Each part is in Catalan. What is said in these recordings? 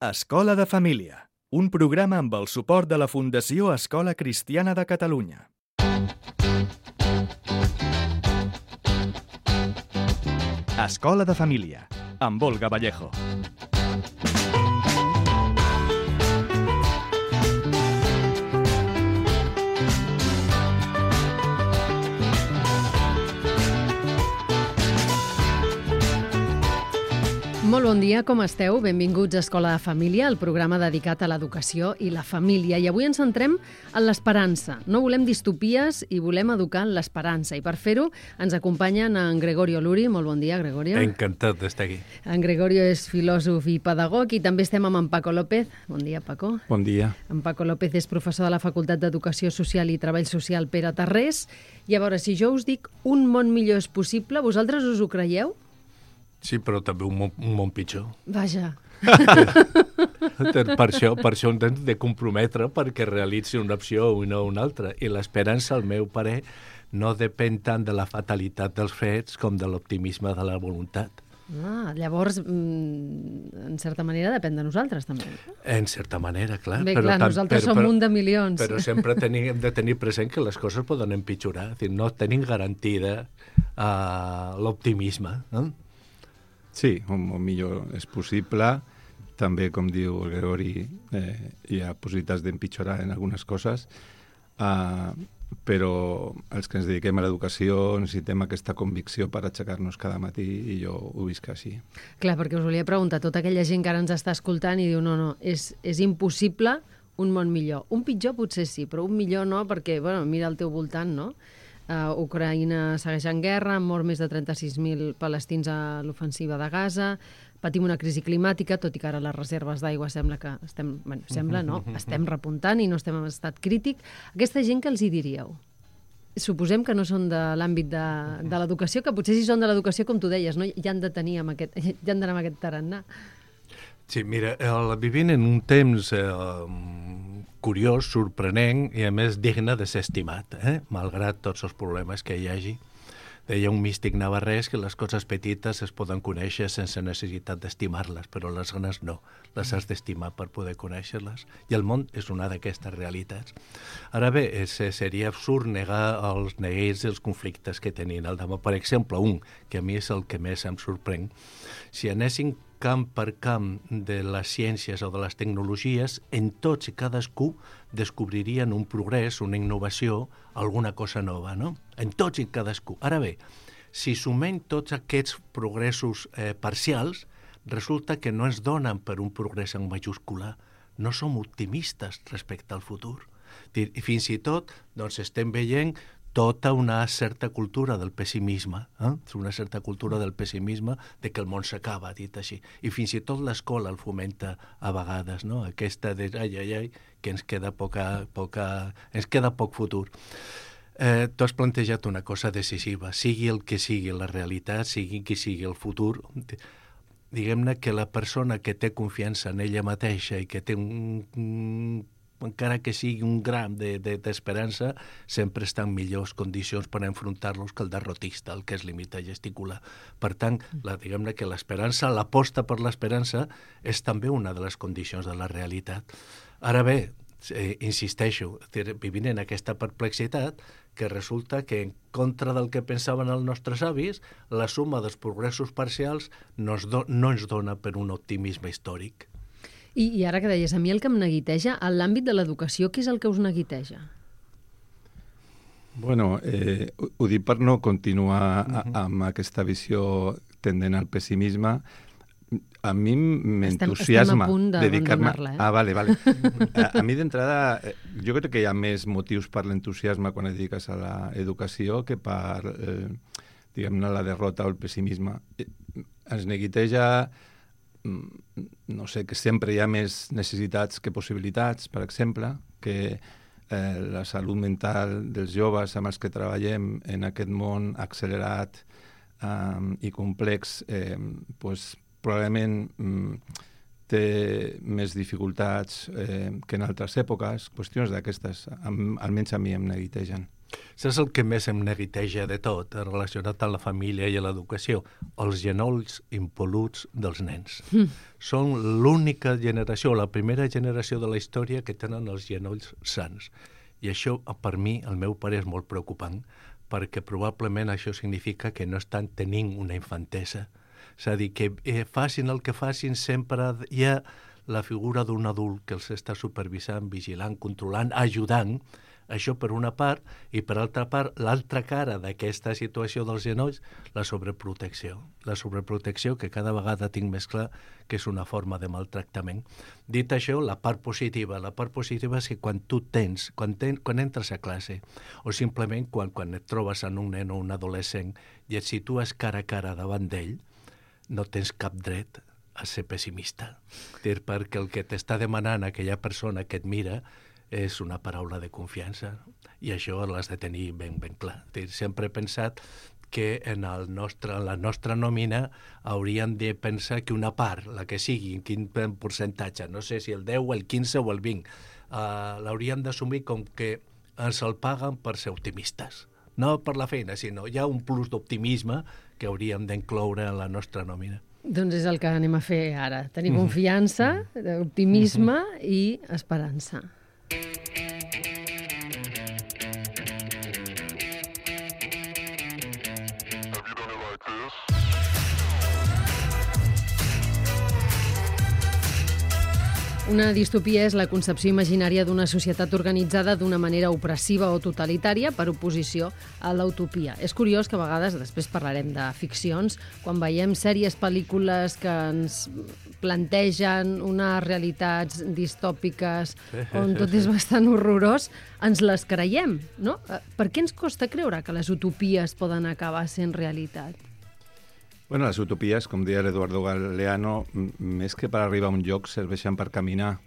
Escola de Família, un programa amb el suport de la Fundació Escola Cristiana de Catalunya. Escola de Família, amb Olga Vallejo. Molt bon dia, com esteu? Benvinguts a Escola de Família, el programa dedicat a l'educació i la família. I avui ens centrem en l'esperança. No volem distopies i volem educar en l'esperança. I per fer-ho ens acompanyen en Gregorio Luri. Molt bon dia, Gregorio. Encantat d'estar aquí. En Gregorio és filòsof i pedagog i també estem amb en Paco López. Bon dia, Paco. Bon dia. En Paco López és professor de la Facultat d'Educació Social i Treball Social Pere Tarrés. I a veure, si jo us dic un món millor és possible, vosaltres us ho creieu? Sí, però també un món pitjor. Vaja. Per això ens hem de comprometre perquè realitzi una opció i no una altra. I l'esperança, al meu parer, no depèn tant de la fatalitat dels fets com de l'optimisme de la voluntat. Llavors, en certa manera, depèn de nosaltres, també. En certa manera, clar. Bé, clar, nosaltres som un de milions. Però sempre hem de tenir present que les coses poden empitjorar. És dir, no tenim garantida l'optimisme, no? Sí, un món millor és possible. També, com diu el Gregori, hi ha possibilitats d'empitjorar en algunes coses, però els que ens dediquem a l'educació necessitem aquesta convicció per aixecar-nos cada matí i jo ho visc així. Clar, perquè us volia preguntar, tota aquella gent que ara ens està escoltant i diu no, és impossible un món millor. Un pitjor potser sí, però un millor no, perquè, bueno, mira al teu voltant, no? Ucraïna segueix en guerra, han mort més de 36.000 palestins a l'ofensiva de Gaza, patim una crisi climàtica, tot i que ara les reserves d'aigua sembla que estem repuntant i no estem en estat crític. Aquesta gent, què els hi diríeu? Suposem que no són de l'àmbit de l'educació, que potser si són de l'educació, com tu deies, no? Ja han d'anar amb aquest tarannà. Sí, mira, vivim en un temps curiós, sorprenent i, a més, digne de ser estimat, malgrat tots els problemes que hi hagi. Deia un místic navarrès que les coses petites es poden conèixer sense necessitat d'estimar-les, però les grans no, les has d'estimar per poder conèixer-les. I el món és una d'aquestes realitats. Ara bé, seria absurd negar els neguits i els conflictes que tenien al damunt. Per exemple, un, que a mi és el que més em sorprèn. Si anéssim camp per camp de les ciències o de les tecnologies, en tots i cadascú descobririen un progrés, una innovació, alguna cosa nova, no? En tots i cadascú. Ara bé, si sumem tots aquests progressos parcials, resulta que no ens donen per un progrés en majúscula. No som optimistes respecte al futur. I fins i tot estem veient tota una certa cultura del pessimisme, una certa cultura del pessimisme de que el món s'acaba, dit així. I fins i tot l'escola el fomenta a vegades, no? Aquesta de que ens queda poc futur. Tu has plantejat una cosa decisiva. Sigui el que sigui la realitat, sigui qui sigui el futur, diguem-ne que la persona que té confiança en ella mateixa i que té encara que sigui un gram d'esperança, sempre està en millors condicions per enfrontar-los que el derrotista, el que es limita a gesticular. Per tant, diguem-ne que l'esperança, l'aposta per l'esperança, és també una de les condicions de la realitat. Ara bé, insisteixo, vivint en aquesta perplexitat, que resulta que en contra del que pensaven els nostres avis, la suma dels progressos parcials no ens dona per un optimisme històric. I ara que deies, a mi el que em neguiteja, en l'àmbit de l'educació, què és el que us neguiteja? Bueno, ho dic per no continuar amb aquesta visió tendent al pessimisme. A mi m'entusiasma dedicar-me... Vale. A mi d'entrada, jo crec que hi ha més motius per l'entusiasme quan et dediques a l'educació que per, diguem-ne, la derrota o el pessimisme. Ens neguiteja, no sé, que sempre hi ha més necessitats que possibilitats, per exemple, que la salut mental dels joves amb els que treballem en aquest món accelerat i complex, probablement té més dificultats que en altres èpoques. Qüestions d'aquestes, almenys a mi em neguitegen. Això és el que més em neguiteja de tot, relacionat amb la família i l'educació, els genolls impol·luts dels nens. Són l'única generació, la primera generació de la història que tenen els genolls sans. I això, per mi, el meu pare, és molt preocupant, perquè probablement això significa que no estan tenint una infantesa. És a dir, que facin el que facin, sempre hi ha la figura d'un adult que els està supervisant, vigilant, controlant, ajudant. Això per una part, i per altra part, l'altra cara d'aquesta situació dels genolls, la sobreprotecció. La sobreprotecció que cada vegada tinc més clar que és una forma de maltractament. Dit això, la part positiva és que quan tu tens, quan entres a classe, o simplement quan et trobes en un nen o un adolescent i et situes cara a cara davant d'ell, no tens cap dret a ser pessimista. Perquè el que t'està demanant aquella persona que et mira és una paraula de confiança, i això l'has de tenir ben clar. Sempre he pensat que en la nostra nòmina hauríem de pensar que una part, la que sigui, en quin percentatge, no sé si el 10, el 15 o el 20, l'hauríem d'assumir com que ens el paguen per ser optimistes. No per la feina, sinó hi ha un plus d'optimisme que hauríem d'incloure en la nostra nòmina. Doncs és el que anem a fer ara. Tenir confiança, optimisme i esperança. Una distopia és la concepció imaginària d'una societat organitzada d'una manera opressiva o totalitària per oposició a l'utopia. És curiós que a vegades, després parlarem de ficcions, quan veiem sèries, pel·lícules que ens plantegen unes realitats distòpiques on tot és bastant horrorós, ens les creiem, no? Per què ens costa creure que les utopies poden acabar sent realitat? Bueno, les utopies, com deia l'Eduardo Galeano, més que per arribar a un lloc, serveixen per caminar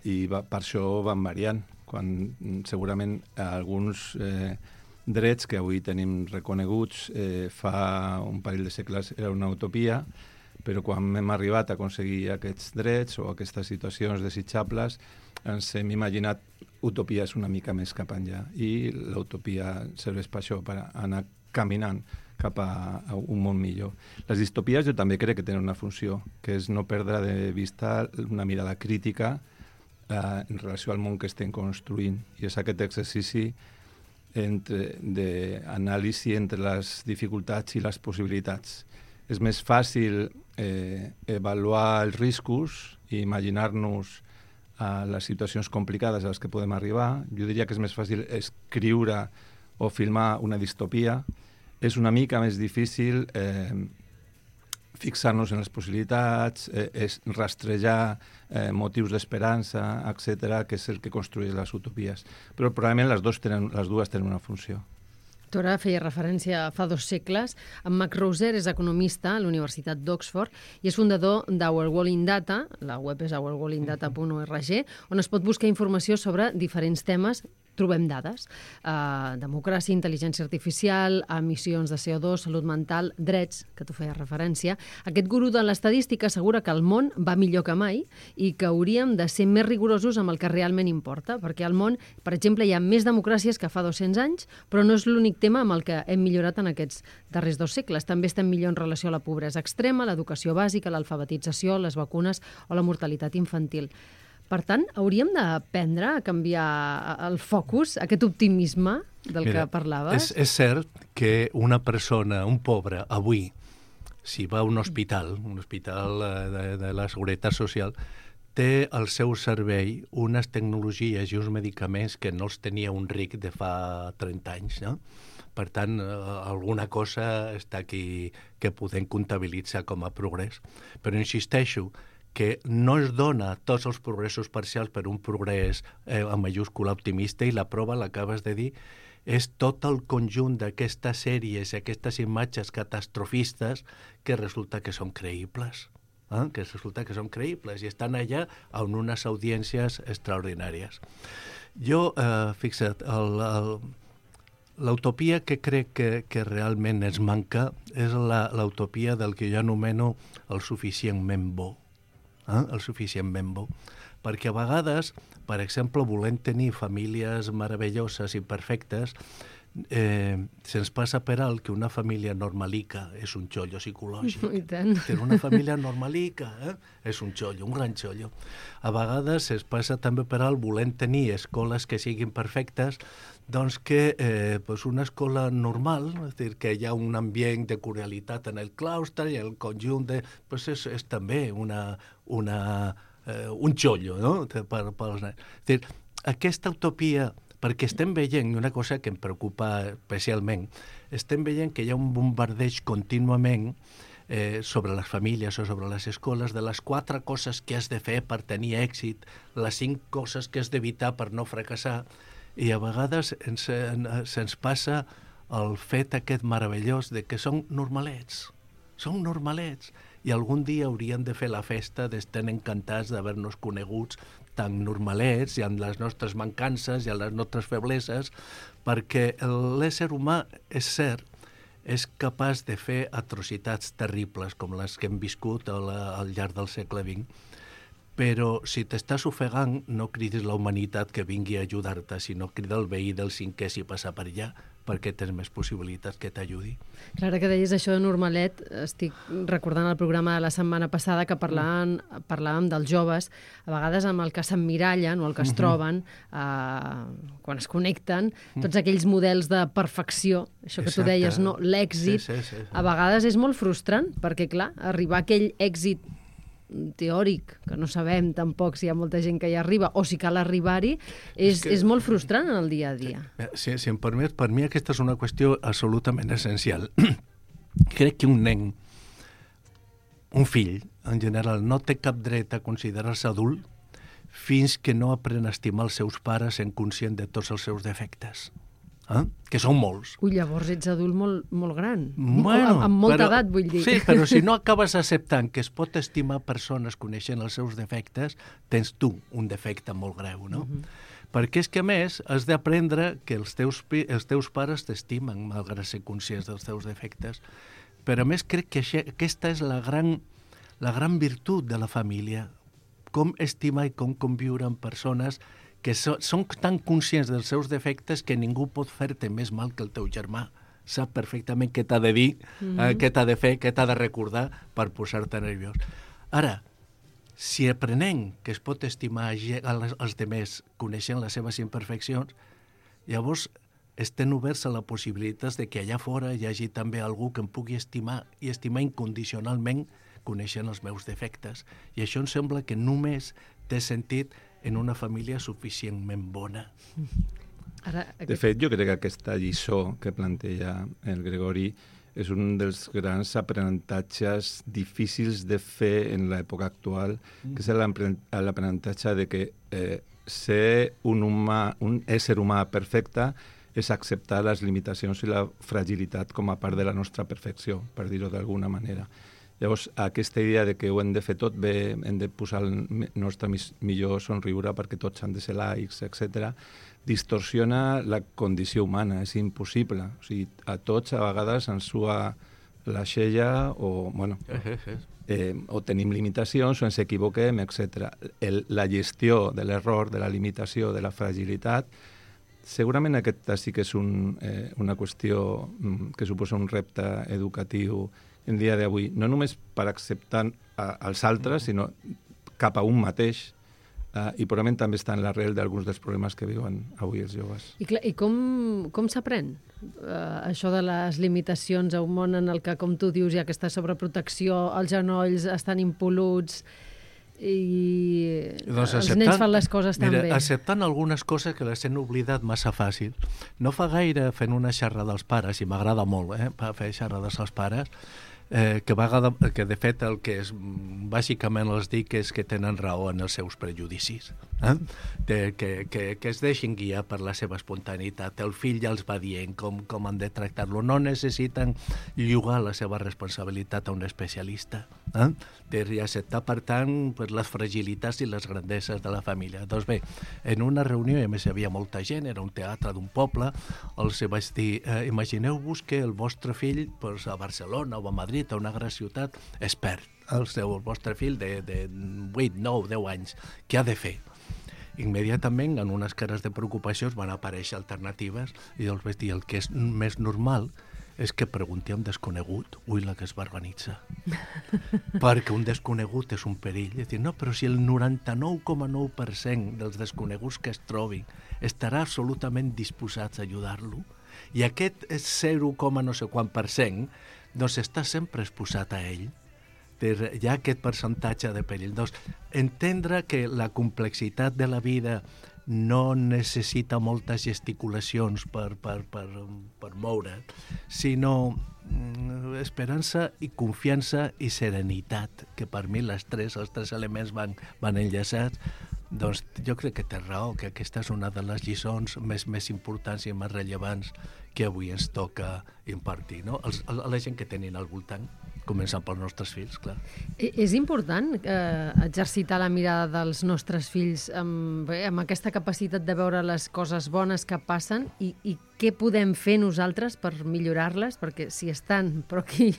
i per això van variant. Quan segurament alguns drets que avui tenim reconeguts fa un parell de segles era una utopia, però quan hem arribat a aconseguir aquests drets o aquestes situacions desitjables ens hem imaginat utopies una mica més cap enllà, i l'utopia serveix per això, per anar caminant cap a un món millor. Les distopies jo també crec que tenen una funció, que és no perdre de vista una mirada crítica en relació al món que estem construint. I és aquest exercici d'anàlisi entre les dificultats i les possibilitats. És més fàcil avaluar els riscos i imaginar-nos les situacions complicades a les que podem arribar. Jo diria que és més fàcil escriure o filmar una distopia. És una mica més difícil fixar-nos en les possibilitats, rastrejar motius d'esperança, etc., que és el que construeix les utopies. Però probablement les dues tenen una funció. Tu ara feia referència fa 2 segles. En Max Roser és economista a la Universitat d'Oxford i és fundador d'Our World in Data, la web és ourworldindata.org, on es pot buscar informació sobre diferents temes. Trobem dades, democràcia, intel·ligència artificial, emissions de CO2, salut mental, drets, que tu feies referència. Aquest gurú de l'estadística assegura que el món va millor que mai i que hauríem de ser més rigorosos amb el que realment importa, perquè al món, per exemple, hi ha més democràcies que fa 200 anys, però no és l'únic tema amb el que hem millorat en aquests darrers 2 segles. També estem millor en relació a la pobresa extrema, l'educació bàsica, l'alfabetització, les vacunes o la mortalitat infantil. Per tant, hauríem d'aprendre a canviar el focus, aquest optimisme del que parlaves? És cert que una persona, un pobre, avui, si va a un hospital de la Seguretat Social, té al seu servei unes tecnologies i uns medicaments que no els tenia un ric de fa 30 anys, no? Per tant, alguna cosa està aquí que podem comptabilitzar com a progrés. Però insisteixo que no es dona tots els progressos parcials per un progrés en majúscula optimista, i la prova, l'acabes de dir, és tot el conjunt d'aquestes sèries, aquestes imatges catastrofistes que resulta que són creïbles. I estan allà amb unes audiències extraordinàries. Jo, fixa't, l'utopia que crec que realment ens manca és l'utopia del que jo anomeno el suficientment bo. el suficientment bo. Perquè a vegades, per exemple, volem tenir famílies meravelloses i perfectes, se'ns passa per alt que una família normalica és un xollo psicològic. I tant. Una família normalica és un xollo, un gran xollo. A vegades se'ns passa també per alt volent tenir escoles que siguin perfectes, doncs que una escola normal, és dir, que hi ha un ambient de cordialitat en el claustre i el conjunt és també un xollo, no? Pels nens. És dir, aquesta utopia, perquè estem veient, una cosa que em preocupa especialment, estem veient que hi ha un bombardeig contínuament sobre les famílies o sobre les escoles de les 4 coses que has de fer per tenir èxit, les 5 coses que has d'evitar per no fracassar, i a vegades se'ns passa el fet aquest meravellós de que són normalets, i algun dia haurien de fer la festa d'estar encantats d'haver-nos coneguts tan normalets i amb les nostres mancances i amb les nostres febleses, perquè l'ésser humà, és cert, és capaç de fer atrocitats terribles com les que hem viscut al llarg del segle XX, però si t'estàs ofegant no cridis la humanitat que vingui a ajudar-te, sinó crida el veí del cinquè si passa per allà, perquè tens més possibilitats que t'ajudi. Clara, que deies això de normalet, estic recordant el programa de la setmana passada que parlàvem dels joves, a vegades amb el que s'emmirallen o el que es troben quan es connecten, tots aquells models de perfecció, això que tu deies, no, l'èxit, a vegades és molt frustrant, perquè clar, arribar a aquell èxit teòric, que no sabem tampoc si hi ha molta gent que hi arriba o si cal arribar-hi, és molt frustrant en el dia a dia. Si em permet, per mi aquesta és una qüestió absolutament essencial. Crec que un nen, un fill, en general, no té cap dret a considerar-se adult fins que no aprèn a estimar els seus pares sent conscient de tots els seus defectes. Que són molts. Ui, llavors ets adult molt gran. Bueno, amb molta edat, vull dir. Sí, però si no acabes acceptant que es pot estimar persones coneixent els seus defectes, tens tu un defecte molt greu, no? Perquè és que, a més, has d'aprendre que els teus pares t'estimen, malgrat ser conscients dels teus defectes. Però, a més, crec que aquesta és la gran virtut de la família. Com estimar i com conviure amb persones que són tan conscients dels seus defectes que ningú pot fer-te més mal que el teu germà. Sap perfectament què t'ha de dir, què t'ha de fer, què t'ha de recordar per posar-te nerviós. Ara, si aprenem que es pot estimar els demés coneixent les seves imperfeccions, llavors estem oberts a la possibilitat de que allà fora hi hagi també algú que em pugui estimar i estimar incondicionalment coneixent els meus defectes. I això em sembla que només té sentit en una família suficientment bona. De fet, jo crec que aquesta lliçó que planteja el Gregori és un dels grans aprenentatges difícils de fer en l'època actual, que és l'aprenentatge de que ser un ésser humà perfecte és acceptar les limitacions i la fragilitat com a part de la nostra perfecció, per dir-ho d'alguna manera. Llavors, aquesta idea de que ho hem de fer tot bé, hem de posar el nostre millor somriure perquè tots han de ser laics, etc., distorsiona la condició humana, és impossible. O sigui, a tots a vegades ens sua la xella o, bueno, o tenim limitacions o ens equivoquem, etc. La gestió de l'error, de la limitació, de la fragilitat, segurament aquesta sí que és una qüestió que suposa un repte educatiu en dia d'avui, no només per acceptar els altres, sinó cap a un mateix, i probablement també està en l'arrel d'alguns dels problemes que viuen avui els joves. I com s'aprèn això de les limitacions a un món en el que, com tu dius, hi ha aquesta sobreprotecció, els genolls estan impol·luts i els nens fan les coses tan bé? Acceptant algunes coses que les hem oblidat massa fàcil. No fa gaire fent una xerrada als pares, i m'agrada molt fer xerrades als pares, que de fet el que bàsicament els dic és que tenen raó en els seus prejudicis, que es deixin guiar per la seva espontaneïtat. El fill ja els va dient com han de tractar-lo, no necessiten llogar la seva responsabilitat a un especialista, i acceptar per tant les fragilitats i les grandeses de la família. Doncs bé, en una reunió, i a més hi havia molta gent, era un teatre d'un poble, els vaig dir, imagineu-vos que el vostre fill a Barcelona o a Madrid, a una gran ciutat, es perd. el vostre fill de 8, 9, 10 anys, què ha de fer? Immediatament, en unes cares de preocupació, van aparèixer alternatives i els vaig dir, el que és més normal és que pregunti a un desconegut, la que es va organitzar. Perquè un desconegut és un perill. És dir, no, però si el 99,9% dels desconeguts que es trobin estarà absolutament disposats a ajudar-lo, i aquest 0, no sé quant %, doncs està sempre exposat a ell. Hi ha aquest percentatge de perill. Doncs, entendre que la complexitat de la vida no necessita moltes gesticulacions per moure, sinó esperança i confiança i serenitat, que per mi els tres elements van enllaçats. Doncs jo crec que té raó, que aquesta és una de les lliçons més importants i més rellevants que avui ens toca impartir, no? A la gent que tenim al voltant, començant pels nostres fills, clar. És important exercitar la mirada dels nostres fills amb aquesta capacitat de veure les coses bones que passen i què podem fer nosaltres per millorar-les, perquè si estan, però aquí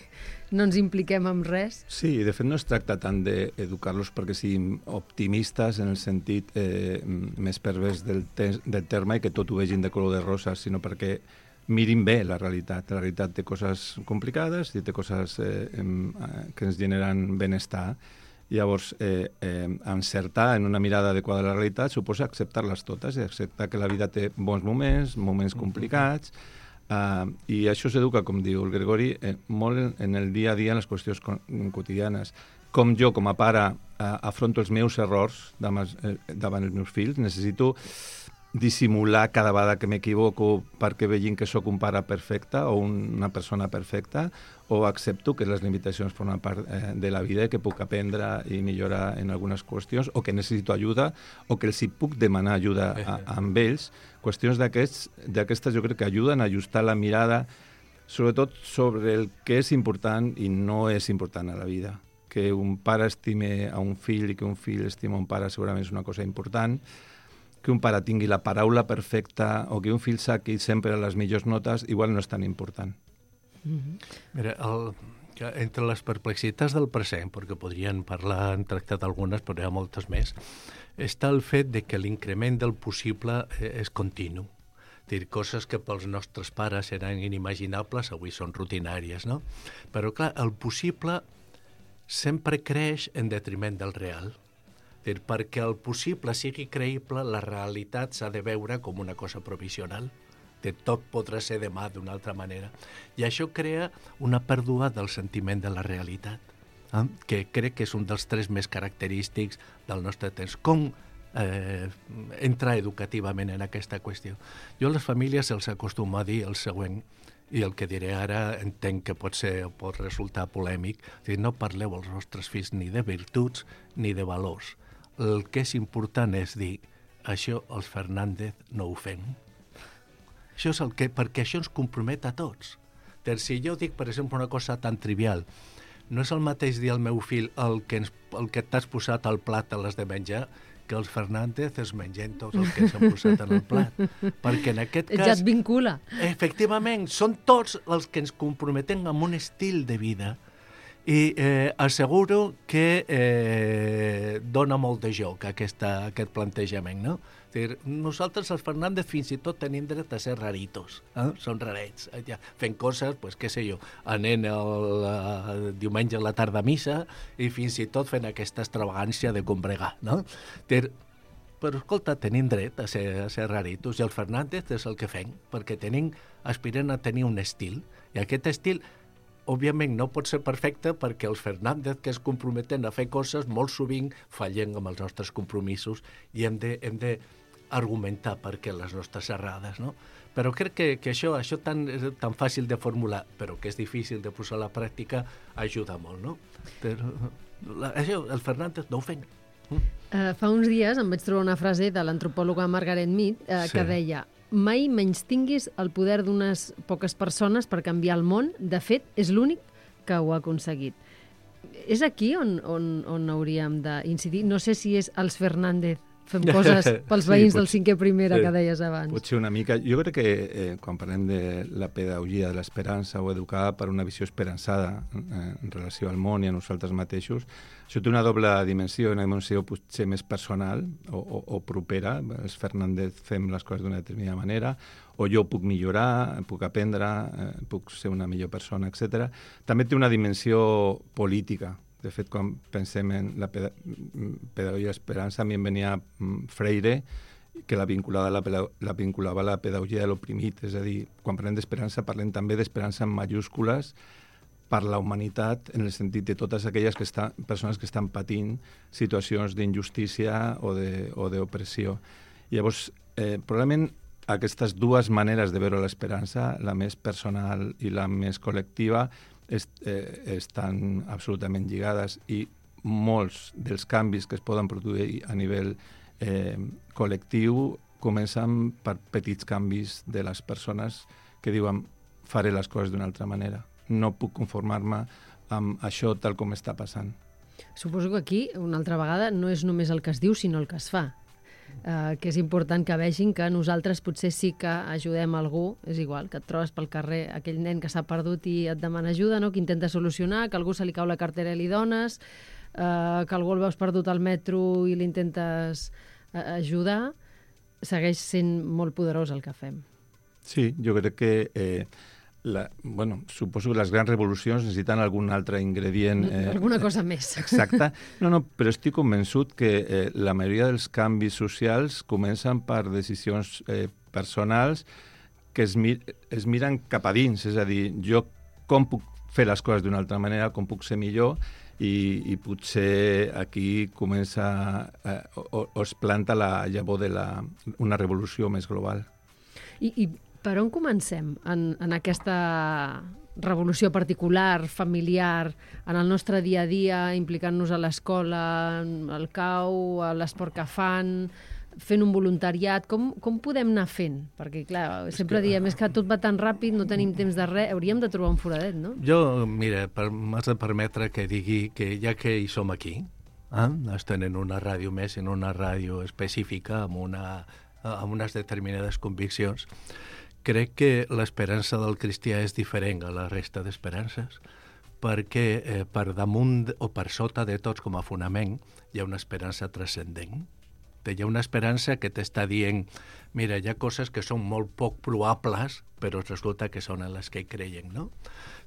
no ens impliquem en res. Sí, de fet no es tracta tant d'educar-los perquè siguin optimistes en el sentit més pervers del terme i que tot ho vegin de color de rosa, sinó perquè mirin bé la realitat. La realitat té coses complicades i té coses que ens generen benestar. Llavors, encertar en una mirada adequada a la realitat suposa acceptar-les totes i acceptar que la vida té bons moments complicats, i això s'educa, com diu el Gregori, molt en el dia a dia, en les qüestions quotidianes. Com jo, com a pare, afronto els meus errors davant els meus fills, necessito dissimular cada vegada que m'equivoco perquè vegin que sóc un pare perfecte o una persona perfecta, o accepto que les limitacions formen part de la vida i que puc aprendre i millorar en algunes qüestions, o que necessito ajuda, o que els hi puc demanar ajuda amb ells. Qüestions d'aquestes jo crec que ajuden a ajustar la mirada, sobretot sobre el que és important i no és important a la vida. Que un pare estime a un fill i que un fill estima un pare segurament és una cosa important, que un pare tingui la paraula perfecta o que un fill saqui sempre les millors notes, igual no és tan important. Mira, entre les perplexitats del present, perquè podrien parlar, han tractat algunes, però hi ha moltes més, està el fet de que l'increment del possible és continu. Dir, coses que pels nostres pares eren inimaginables, avui són rutinàries, no? Però, clar, el possible sempre creix en detriment del real. Perquè el possible sigui creïble, la realitat s'ha de veure com una cosa provisional. Tot podrà ser demà d'una altra manera. I això crea una pèrdua del sentiment de la realitat, que crec que és un dels tres més característics del nostre temps. Com entrar educativament en aquesta qüestió? Jo a les famílies els acostumo a dir el següent, i el que diré ara entenc que pot resultar polèmic, no parleu als vostres fills ni de virtuts ni de valors. El que és important és dir, això els Fernández no ho fem. Això és perquè això ens compromet a tots. Si jo dic, per exemple, una cosa tan trivial, no és el mateix dir al meu fill el que t'has posat al plat a l'has de menjar, que els Fernández es mengen tot el que s'han posat en el plat. Perquè en aquest cas... Ja et vincula. Efectivament, són tots els que ens comprometem amb un estil de vida i asseguro que dona molt de joc aquest plantejament, no? Nosaltres, els Fernández, fins i tot tenim dret a ser raritos, són rarets, fent coses, què sé jo, anant el diumenge a la tarda a missa i fins i tot fent aquesta extravagància de combregar, no? Però, escolta, tenim dret a ser raritos, i els Fernández és el que fem, perquè aspirem a tenir un estil, i aquest estil òbviament no pot ser perfecte perquè els Fernández que es comprometen a fer coses molt sovint fallen amb els nostres compromisos i hem de argumentar per què les nostres errades, no? Però crec que això tan fàcil de formular, però que és difícil de posar a la pràctica, ajuda molt, no? Però això, els Fernández no ho fem. Fa uns dies em vaig trobar una frase de l'antropòloga Margaret Mead que deia: mai menystinguis el poder d'unes poques persones per canviar el món. De fet, és l'únic que ho ha aconseguit. És aquí on hauríem d'incidir. No sé si és els Fernández fem coses pels veïns del 5è primera que deies abans. Potser una mica. Jo crec que quan parlem de la pedagogia de l'esperança o educar per una visió esperançada en relació al món i a nosaltres mateixos, això té una doble dimensió, una dimensió potser més personal o propera. Els Fernández fem les coses d'una determinada manera, o jo puc millorar, puc aprendre, puc ser una millor persona, etc. També té una dimensió política. De fet, quan pensem en la pedagogia d'esperança, a mi em venia Freire, que la vinculava a la pedagogia de l'oprimit. És a dir, quan parlem d'esperança, parlem també d'esperança en majúscules per la humanitat, en el sentit de totes aquelles persones que estan patint situacions d'injustícia o d'opressió. Llavors, probablement aquestes dues maneres de veure l'esperança, la més personal i la més col·lectiva, estan absolutament lligades, i molts dels canvis que es poden produir a nivell col·lectiu comencen per petits canvis de les persones que diuen faré les coses d'una altra manera. No puc conformar-me amb això tal com està passant. Suposo que aquí, una altra vegada, no és només el que es diu, sinó el que es fa. Que és important que vegin que nosaltres potser sí que ajudem algú, és igual, que et trobes pel carrer aquell nen que s'ha perdut i et demana ajuda, no? Que intenta solucionar, que a algú se li cau la cartera i li dones, que algú el veus perdut al metro i l'intentes ajudar, segueix sent molt poderós el que fem. Sí, jo crec que suposo que les grans revolucions necessiten algun altre ingredient. Alguna cosa més. Exacte. No, però estic convençut que la majoria dels canvis socials comencen per decisions personals que es miren cap a dins. És a dir, jo com puc fer les coses d'una altra manera, com puc ser millor, i potser aquí comença o es planta la llavor d'una revolució més global. I per on comencem en aquesta revolució particular, familiar, en el nostre dia a dia, implicant-nos a l'escola, al CAU, a l'esport que fan, fent un voluntariat? Com podem anar fent? Perquè, clar, sempre diem que tot va tan ràpid, no tenim temps de res, hauríem de trobar un foradet, no? Jo, mira, m'has de permetre que digui que ja que hi som aquí, estem en una ràdio més, en una ràdio específica, amb unes determinades conviccions, crec que l'esperança del cristià és diferent a la resta d'esperances, perquè per damunt o per sota de tots com a fonament hi ha una esperança transcendent. Hi ha una esperança que t'està dient, mira, hi ha coses que són molt poc probables, però resulta que són en les que creien, no?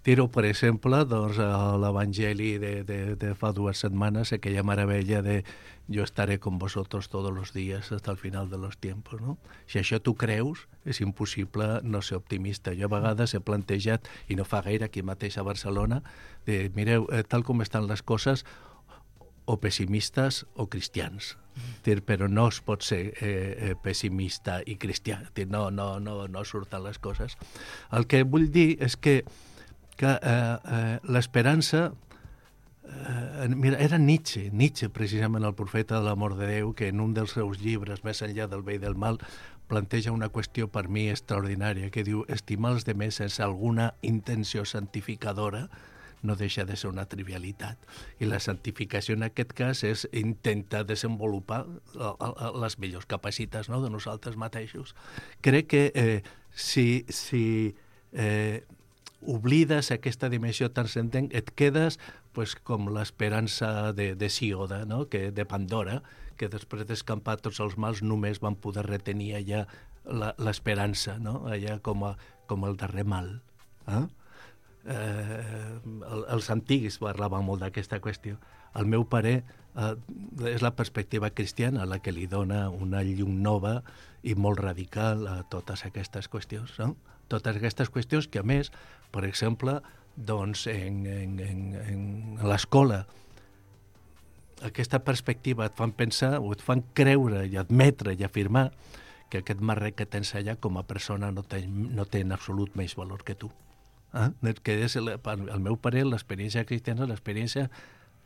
Tiro, per exemple, doncs, a l'Evangeli de fa 2 setmanes, aquella meravella de yo estaré con vosotros todos los días hasta el final de los tiempos, no? Si això tu creus, és impossible no ser optimista. Jo a vegades he plantejat, i no fa gaire aquí mateix a Barcelona, de, mireu, tal com estan les coses, o pessimistes o cristians. Però no es pot ser pessimista i cristià. No surten les coses. El que vull dir és que l'esperança... Mira, era Nietzsche, precisament el profeta de l'amor de Déu, que en un dels seus llibres, Més enllà del bé i del mal, planteja una qüestió per mi extraordinària, que diu, estimar els demés sense alguna intenció santificadora no deixa de ser una trivialitat. I la santificació en aquest cas és intentar desenvolupar les millors capacitats, no?, de nosaltres mateixos. Crec que si oblides aquesta dimensió transcendent, et quedes com l'esperança de Síoda, no?, de Pandora, que després d'escampar tots els mals només van poder retenir allà l'esperança, no?, allà com el darrer mal. Els antics parlaven molt d'aquesta qüestió. Al meu parer, és la perspectiva cristiana la que li dona una llum nova i molt radical a totes aquestes qüestions, no? Totes aquestes qüestions que, a més, per exemple, doncs, en l'escola, aquesta perspectiva et fan pensar o et fan creure i admetre i afirmar que aquest marrec que tens allà com a persona no té en absolut més valor que tu. Que és, al meu parer, l'experiència cristiana és l'experiència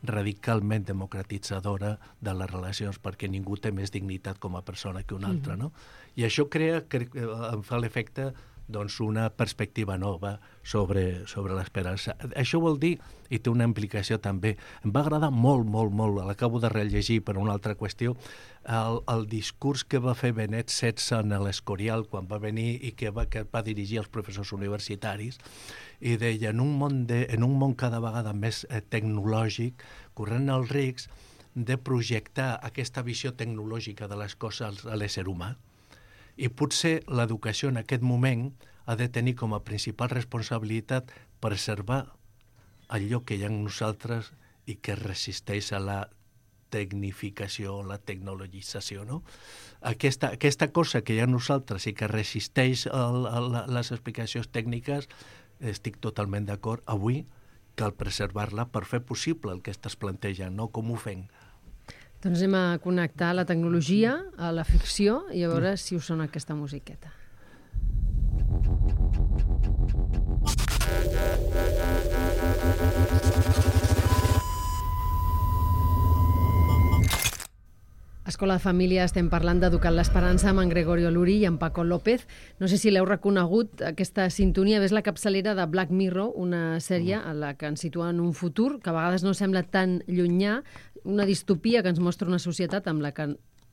radicalment democratitzadora de les relacions, perquè ningú té més dignitat com a persona que un altre, no? I això crea, em fa l'efecte doncs, una perspectiva nova sobre l'esperança. Això vol dir, i té una implicació també, em va agradar molt, l'acabo de rellegir per una altra qüestió, el discurs que va fer Benet XVI en l'Escorial quan va venir i que va dirigir als professors universitaris, i deia, en un món cada vegada més tecnològic, corrent els riscs de projectar aquesta visió tecnològica de les coses a l'ésser humà. I potser l'educació en aquest moment ha de tenir com a principal responsabilitat preservar allò que hi ha en nosaltres i que resisteix a la tecnificació, la tecnologització, no? Aquesta cosa que hi ha en nosaltres i que resisteix a les explicacions tècniques, estic totalment d'acord. Avui cal preservar-la per fer possible el que estàs plantejant, no? Com ho fem? Doncs anem a connectar la tecnologia a la ficció i a veure si us sona aquesta musiqueta. Escola de Família estem parlant d'Educant l'Esperança amb en Gregorio Luri i en Paco López. No sé si l'heu reconegut, aquesta sintonia. És la capçalera de Black Mirror, una sèrie en la que ens situa en un futur que a vegades no sembla tan llunyà, una distopia que ens mostra una societat amb la que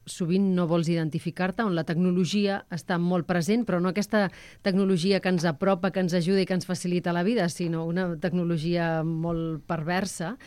sovint no vols identificar-te, on la tecnologia està molt present, però no aquesta tecnologia que ens apropa, que ens ajuda i que ens facilita la vida, sinó una tecnologia molt perversa.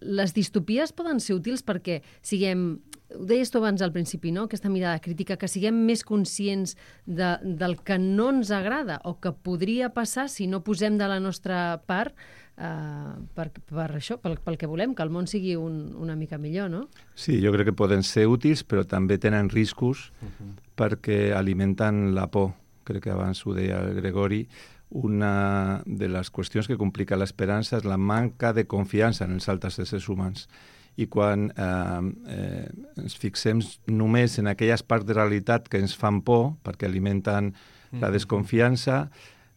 Les distopies poden ser útils perquè siguem, ho deies tu abans al principi, no? Aquesta mirada crítica, que siguem més conscients del que no ens agrada o que podria passar si no posem de la nostra part per això, pel que volem, que el món sigui una mica millor, no? Sí, jo crec que poden ser útils, però també tenen riscos perquè alimenten la por. Crec que abans ho deia el Gregori. Una de les qüestions que complica l'esperança és la manca de confiança en els altres éssers humans. I quan ens fixem només en aquelles parts de realitat que ens fan por, perquè alimenten la desconfiança,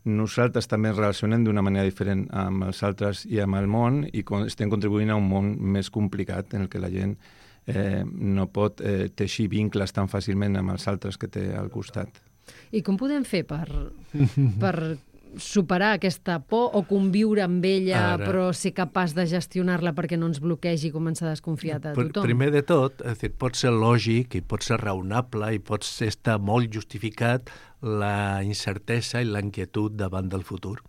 nosaltres també ens relacionem d'una manera diferent amb els altres i amb el món i estem contribuint a un món més complicat en el que la gent no pot teixir vincles tan fàcilment amb els altres que té al costat. I com podem fer per superar aquesta por o conviure amb ella, però ser capaç de gestionar-la perquè no ens bloquegi i començar a desconfiar de tothom? Primer de tot, pot ser lògic i pot ser raonable i pot estar molt justificat la incertesa i la inquietud davant del futur.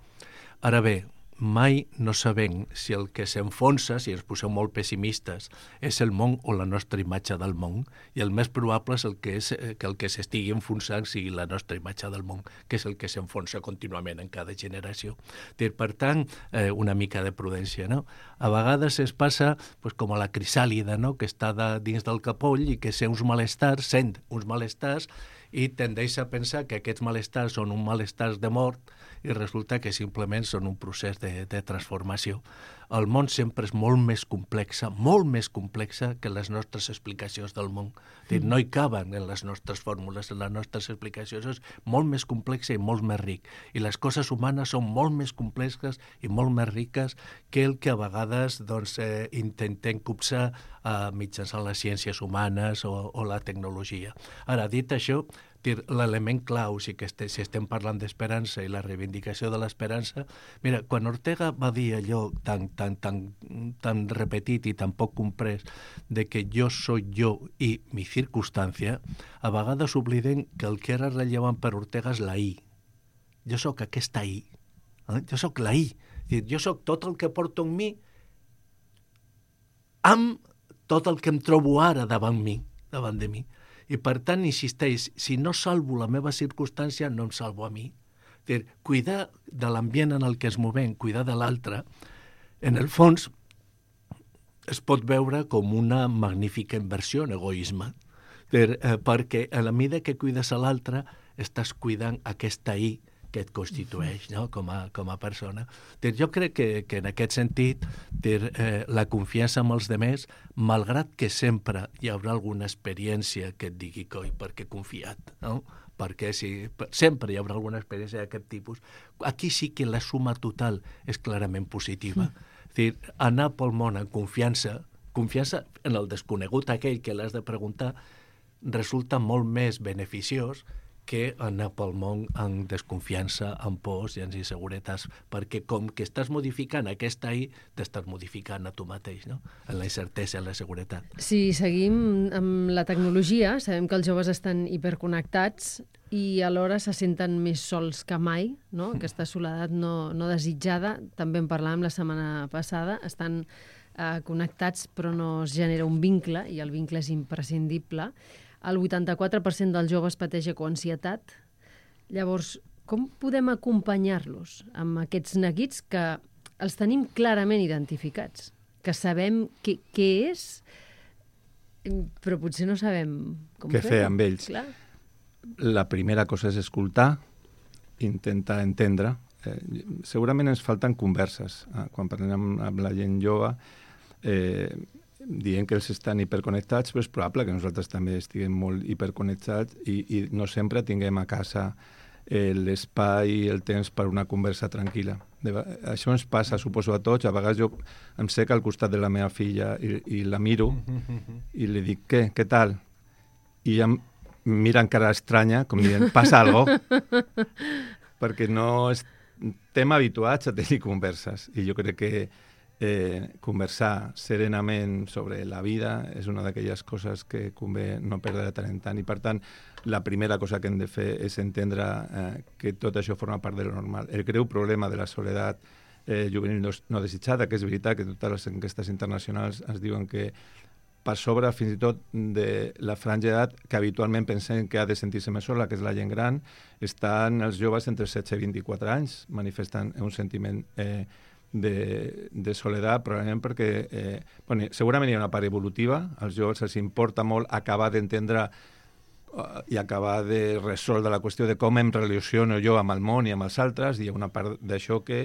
Ara bé, mai no sabem si el que s'enfonsa, si ens posem molt pessimistes, és el món o la nostra imatge del món, i el més probable és que el que s'estigui enfonsant sigui la nostra imatge del món, que és el que s'enfonsa contínuament en cada generació. Per tant, una mica de prudència, no? A vegades es passa com a la crisàlida, no? Que està dins del capoll i que sent uns malestars i tendeix a pensar que aquests malestars són un malestars de mort i resulta que simplement són un procés de transformació. El món sempre és molt més complexa que les nostres explicacions del món. No hi caben en les nostres fórmules, en les nostres explicacions. És molt més complexa i molt més ric. I les coses humanes són molt més complexes i molt més riques que el que a vegades intentem copsar mitjançant les ciències humanes o la tecnologia. Ara, dit això, l'element clau, si estem parlant d'esperança i la reivindicació de l'esperança, mira, quan Ortega va dir allò tan repetit i tan poc comprès de que jo soy yo i mi circunstància, a vegades obliden que el que era rellevant per Ortega és la I. Jo sóc aquesta I. Jo sóc la I. Jo sóc tot el que porto en mi amb tot el que em trobo ara davant de mi. I per tant, insisteix, si no salvo la meva circumstància, no em salvo a mi. Cuidar de l'ambient en el que es movem, cuidar de l'altre, en el fons es pot veure com una magnífica inversió en egoisme, perquè a la mida que cuides a l'altre estàs cuidant aquesta I que et constitueix, no? com a persona. Jo crec que en aquest sentit la confiança en els demés, malgrat que sempre hi haurà alguna experiència que et digui coi, perquè he confiat, no? Perquè sempre hi haurà alguna experiència d'aquest tipus. Aquí sí que la suma total és clarament positiva. Anar pel món amb confiança en el desconegut aquell que l'has de preguntar, resulta molt més beneficiós que anar pel món amb desconfiança, amb pors i amb inseguretats, perquè com que estàs modificant aquesta t'estàs modificant a tu mateix, no? En la incertesa, en la seguretat. Si seguim amb la tecnologia, sabem que els joves estan hiperconnectats i alhora se senten més sols que mai, no? Aquesta soledat no desitjada, també en parlàvem la setmana passada, estan connectats però no es genera un vincle i el vincle és imprescindible. El 84% dels joves pateix ecoansietat. Llavors, com podem acompanyar-los amb aquests neguits que els tenim clarament identificats? Que sabem què és, però potser no sabem com fer amb ells. Clar. La primera cosa és escoltar, intentar entendre. Segurament ens falten converses. Quan parlem amb la gent jove, dient que els estan hiperconnectats, però és probable que nosaltres també estiguem molt hiperconnectats i no sempre tinguem a casa l'espai i el temps per una conversa tranquil·la. Això ens passa, suposo, a tots. A vegades jo em sec al costat de la meva filla i la miro i li dic, què tal? I ella mira encara estranya, com dient, passa algo? Perquè no estem habituats a tenir converses i jo crec que conversar serenament sobre la vida és una d'aquelles coses que convé no perdre de tant en tant i per tant la primera cosa que hem de fer és entendre que tot això forma part de lo normal. El greu problema de la soledat juvenil no desitjada, que és veritat que totes les enquestes internacionals ens diuen que per sobre fins i tot de la franja d'edat que habitualment pensem que ha de sentir-se més sola, que és la gent gran, estan els joves entre 16 i 24 anys manifestant un sentiment de soledat, probablement perquè segurament hi ha una part evolutiva, als joves els importa molt acabar d'entendre i acabar de resoldre la qüestió de com em relaciono jo amb el món i amb els altres, i hi ha una part d'això que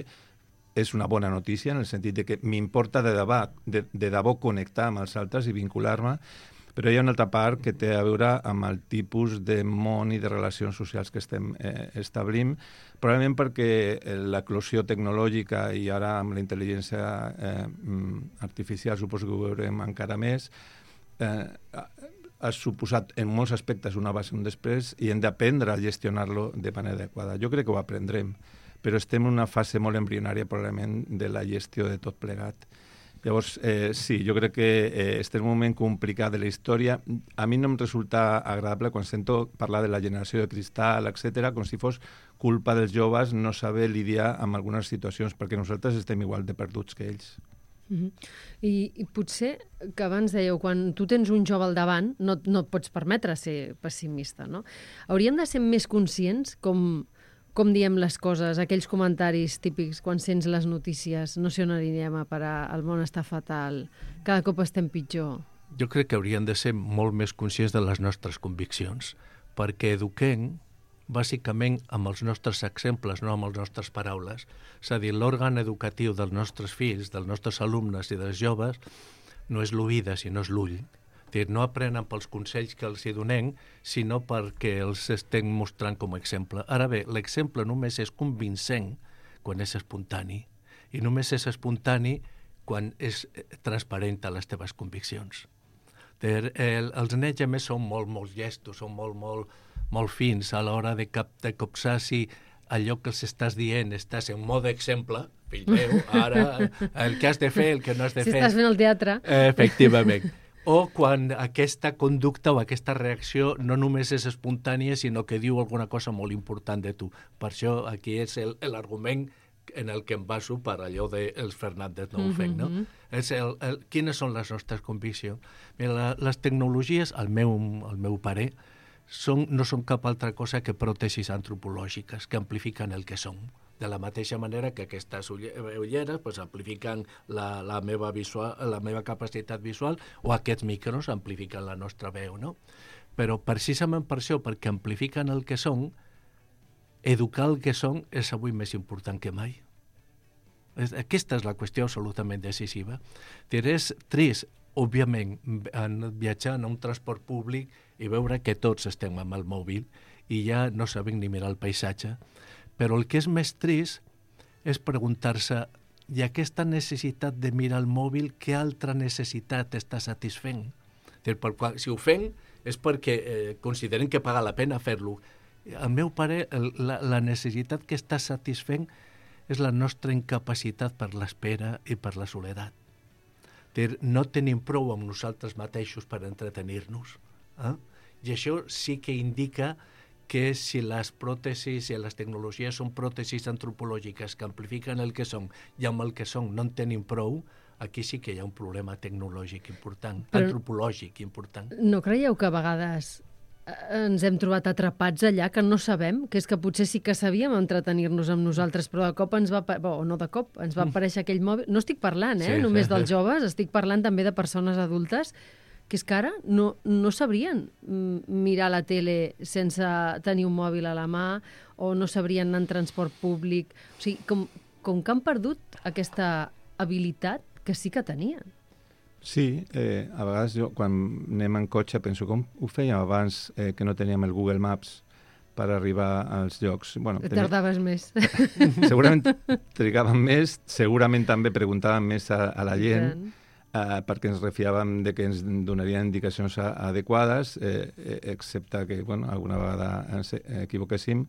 és una bona notícia, en el sentit de que m'importa de debò connectar amb els altres i vincular-me, però hi ha una altra part que té a veure amb el tipus de món i de relacions socials que estem establint, probablement perquè l'eclosió tecnològica i ara amb la intel·ligència artificial suposo que ho veurem encara més, ha suposat en molts aspectes un abans i un després i hem d'aprendre a gestionar-lo de manera adequada. Jo crec que ho aprendrem, però estem en una fase molt embrionària probablement de la gestió de tot plegat. Llavors, sí, jo crec que estem en un moment complicat de la història. A mi no em resulta agradable quan sento parlar de la generació de cristal, etc., com si fos culpa dels joves no saber lidiar amb algunes situacions, perquè nosaltres estem igual de perduts que ells. I potser que abans dèieu, quan tu tens un jove al davant, no et pots permetre ser pessimista, no? Hauríem de ser més conscients com diem les coses, aquells comentaris típics quan sents les notícies, no sé on anirem a parar, el món està fatal, cada cop estem pitjor. Jo crec que hauríem de ser molt més conscients de les nostres conviccions, perquè eduquem bàsicament amb els nostres exemples, no amb les nostres paraules. És a dir, l'òrgan educatiu dels nostres fills, dels nostres alumnes i dels joves no és l'oïda, sinó és l'ull. No aprenen pels consells que els hi donem, sinó perquè els estem mostrant com a exemple. Ara bé, l'exemple només és convincent quan és espontani, i només és espontani quan és transparent a les teves conviccions. Els nens, a més, són molt llestos, són molt fins a l'hora de copsar si allò que els estàs dient estàs en mode exemple, fill meu, ara el que has de fer, el que no has de fer. Si estàs fent el teatre. Efectivament. O quan aquesta conducta o aquesta reacció no només és espontània, sinó que diu alguna cosa molt important de tu. Per això aquí és l'argument en el que em baso per allò dels Fernández no ho fem, no? Quines són les nostres conviccions? Mira, les tecnologies, al meu parer, no són cap altra cosa que pròtesis antropològiques que amplifiquen el que som. De la mateixa manera que aquestes ulleres amplifiquen la meva capacitat visual, o aquests micros amplifiquen la nostra veu, no? Però precisament per això, perquè amplifiquen el que són, educar el que són és avui més important que mai. Aquesta és la qüestió absolutament decisiva. És trist, òbviament, viatjar en un transport públic i veure que tots estem amb el mòbil i ja no sabem ni mirar el paisatge. Però el que és més trist és preguntar-se, i aquesta necessitat de mirar el mòbil, què altra necessitat està satisfent? Si ho fem és perquè consideren que paga la pena fer-lo. al meu pare, la necessitat que està satisfent és la nostra incapacitat per l'espera i per la soledat. No tenim prou amb nosaltres mateixos per entretenir-nos. I això sí que indica que si les pròtesis i les tecnologies són pròtesis antropològiques que amplifiquen el que són i amb el que són no en tenim prou, aquí sí que hi ha un problema tecnològic important, antropològic important. No creieu que a vegades ens hem trobat atrapats allà, que no sabem, que és que potser sí que sabíem entretenir-nos amb nosaltres, però de cop ens va... no de cop, ens va aparèixer aquell mòbil... No estic parlant, només dels joves, estic parlant també de persones adultes, que és que ara no sabrien mirar la tele sense tenir un mòbil a la mà o no sabrien anar en transport públic. O sigui, com que han perdut aquesta habilitat que sí que tenien. Sí, a vegades jo, quan anem en cotxe, penso com ho fèiem abans que no teníem el Google Maps per arribar als llocs. Bueno, tardaves més. Segurament trigàvem més, segurament també preguntàvem més a la gent, perquè ens refiàvem de que ens donarien indicacions adequades, excepte que alguna vegada ens equivoquéssim.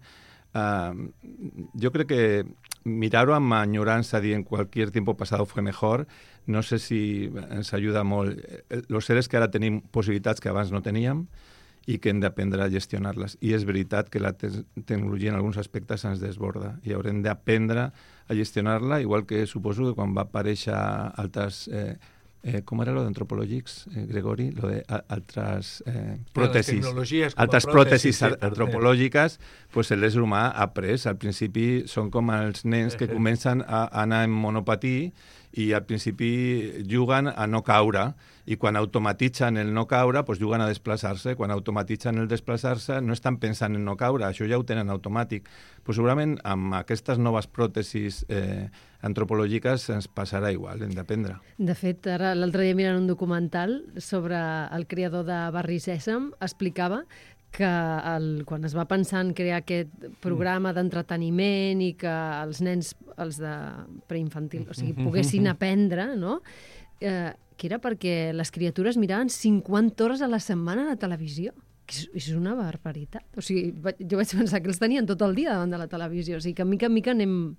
Yo creo que mirar-ho amb enyorança dient cualquier tiempo pasado fue mejor, no sé si ens ajuda molt. Lo cert és que ara tenim possibilitats que abans no teníem i que hem d'aprendre a gestionar-les. I és veritat que la tecnologia en alguns aspectes ens desborda i haurem d'aprendre a gestionar-la, igual que suposo que quan va aparèixer altres... ¿cómo era lo de antropològics, Gregori? Lo de altres pròtesis. Altres pròtesis antropològiques, pues l'ésser humà ha après. Al principi són com els nens que comencen a anar en monopatí i al principi juguen a no caure i quan automatitzen el no caure pues juguen a desplaçar-se. Quan automatitzen el desplaçar-se no estan pensant en no caure, això ja ho tenen automàtic. Pues segurament amb aquestes noves pròtesis antropològiques ens passarà igual, hem d'aprendre. De fet, ara l'altre dia mirant un documental sobre el creador de Barri Sèsam, explicava que quan es va pensar en crear aquest programa d'entreteniment i que els nens, els de preinfantil, o sigui, poguessin aprendre, no? Que era perquè les criatures miraven 50 hores a la setmana a la televisió. És una barbaritat. O sigui, jo vaig pensar que els tenien tot el dia davant de la televisió. O sigui, que mica en mica anem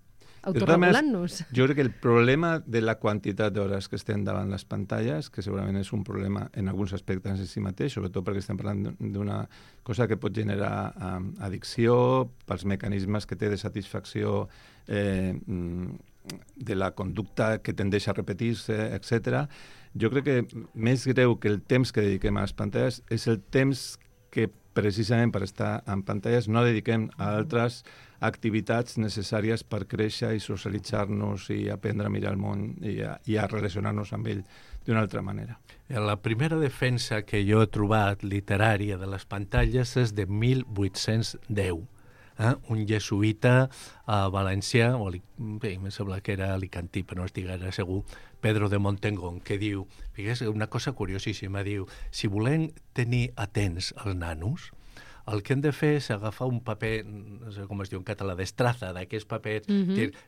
autorregulant-nos. Jo crec que el problema de la quantitat d'hores que estem davant les pantalles, que segurament és un problema en alguns aspectes en si mateix, sobretot perquè estem parlant d'una cosa que pot generar addicció, pels mecanismes que té de satisfacció de la conducta que tendeix a repetir-se, etc. Jo crec que més greu que el temps que dediquem a les pantalles és el temps que precisament per estar en pantalles no dediquem a altres activitats necessàries per créixer i socialitzar-nos i aprendre a mirar el món i a relacionar-nos amb ell d'una altra manera. La primera defensa que jo he trobat literària de les pantalles és de 1810. Un jesuïta a València, em sembla que era alicantí, però no estic gaire segur, Pedro de Montengón, que diu, fixeu, una cosa curiosíssima, diu, si volem tenir atents els nanos, el que hem de fer és agafar un paper, no sé com es diu en català, destraza, d'aquest paper,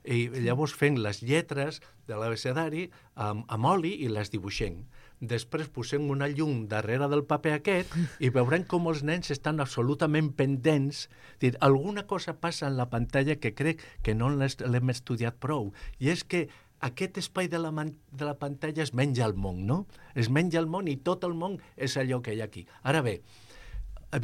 i llavors fem les lletres de l'abecedari amb oli i les dibuixem. Després posem una llum darrere del paper aquest i veurem com els nens estan absolutament pendents. Alguna cosa passa en la pantalla que crec que no l'hem estudiat prou, i és que aquest espai de la pantalla es menja el món, no? Es menja el món i tot el món és allò que hi ha aquí. Ara bé,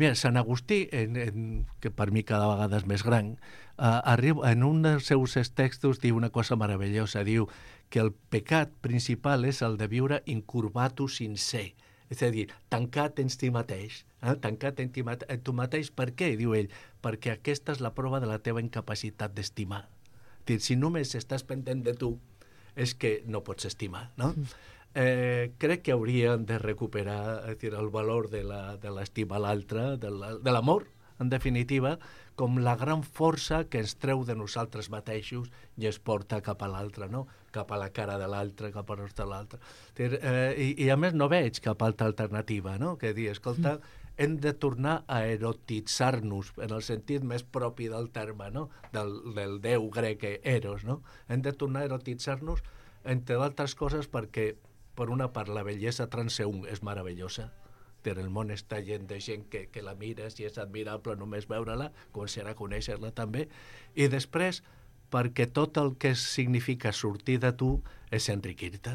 mira, Sant Agustí, que per mi cada vegada és més gran, en un dels seus textos diu una cosa meravellosa, diu que el pecat principal és el de viure incurvatus in se, és a dir, tancat en si mateix, tancat en tu mateix. Per què? Diu ell, perquè aquesta és la prova de la teva incapacitat d'estimar. Si només estàs pendent de tu, és que no pots estimar, no? Crec que hauríem de recuperar el valor de l'estima a l'altre, de l'amor, en definitiva, com la gran força que ens treu de nosaltres mateixos i es porta cap a l'altre, no? Cap a la cara de l'altre, cap a l'altre de l'altre. I a més no veig cap altra alternativa, no? Que dir, escolta, hem de tornar a erotitzar-nos, en el sentit més propi del terme, no? Del déu grec Eros, no? Hem de tornar a erotitzar-nos, entre d'altres coses, perquè, per una part, la bellesa transeünt és meravellosa. El món està gent de gent que la mires i és admirable només veure-la, començarà a conèixer-la també, i després perquè tot el que significa sortir de tu és enriquir-te.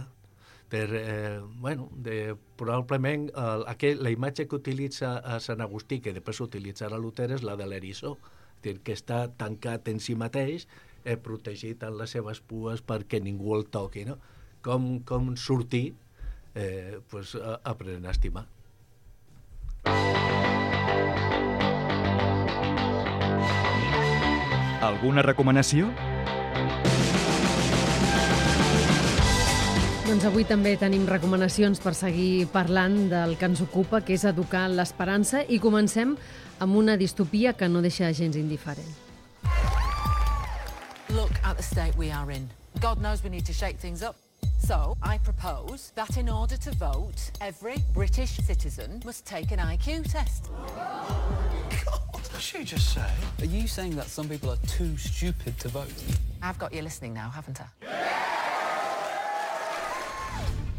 Probablement la imatge que utilitza a Sant Agustí, que després utilitzarà Luter, és la de l'eriçó, que està tancat en si mateix, protegit en les seves pues perquè ningú el toqui, no? Com sortir, aprenent a estimar. Alguna recomanació? Doncs avui també tenim recomanacions per seguir parlant del que ens ocupa, que és educar l'esperança, i comencem amb una distopia que no deixa gens indiferent. Look at the state we are in. God knows we need to shake things up. So, I propose that in order to vote, every British citizen must take an IQ test. What did she just say? Are you saying that some people are too stupid to vote? I've got you listening now, haven't I?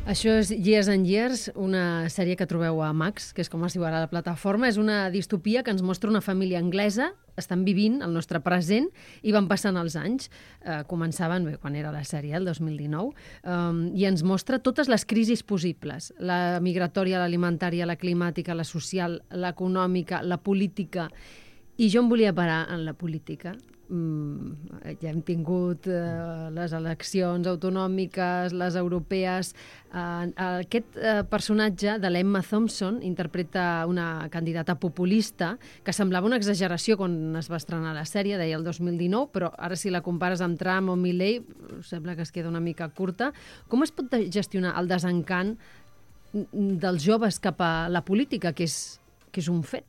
Això és Years and Years, una sèrie que trobeu a Max, que és com es diu ara la plataforma. És una distopia que ens mostra una família anglesa, estan vivint el nostre present i van passant els anys. Començaven, quan era la sèrie, el 2019, i ens mostra totes les crisis possibles. La migratòria, l'alimentària, la climàtica, la social, l'econòmica, la política. I jo em volia parar en la política. Ja hem tingut les eleccions autonòmiques, les europees. Aquest personatge de l'Emma Thompson interpreta una candidata populista que semblava una exageració quan es va estrenar la sèrie, deia el 2019, però ara si la compares amb Trump o Milley sembla que es queda una mica curta. Com es pot gestionar el desencant dels joves cap a la política, que és un fet?